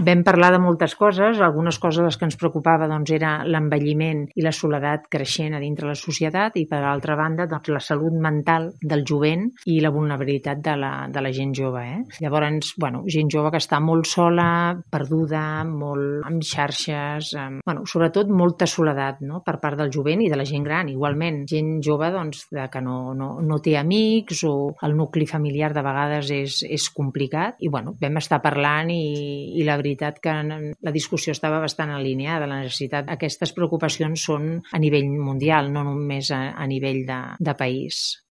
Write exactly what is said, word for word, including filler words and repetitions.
vam parlar de moltes coses. Algunes coses les que ens preocupava doncs, era l'envelliment i la soledat creixent a dintre la societat i, per altra banda, doncs, la salut mental del jovent i la vulnerabilitat de la, de la gent jove. Eh? Llavors, bueno, gent jove que està molt sola, perduda, molt amb xarxes, amb, bueno, sobretot molta soledat, no? Per part del jovent i de la gent gran. Igualment, gent jove doncs, de que no, no, no té amics o el nucli familiar de vegades és, és complicat i bueno, vam estar parlant i, i la veritat que la discussió estava bastant alineada. La necessitat, aquestes preocupacions són a nivell mundial, no només a, a nivell de, de país.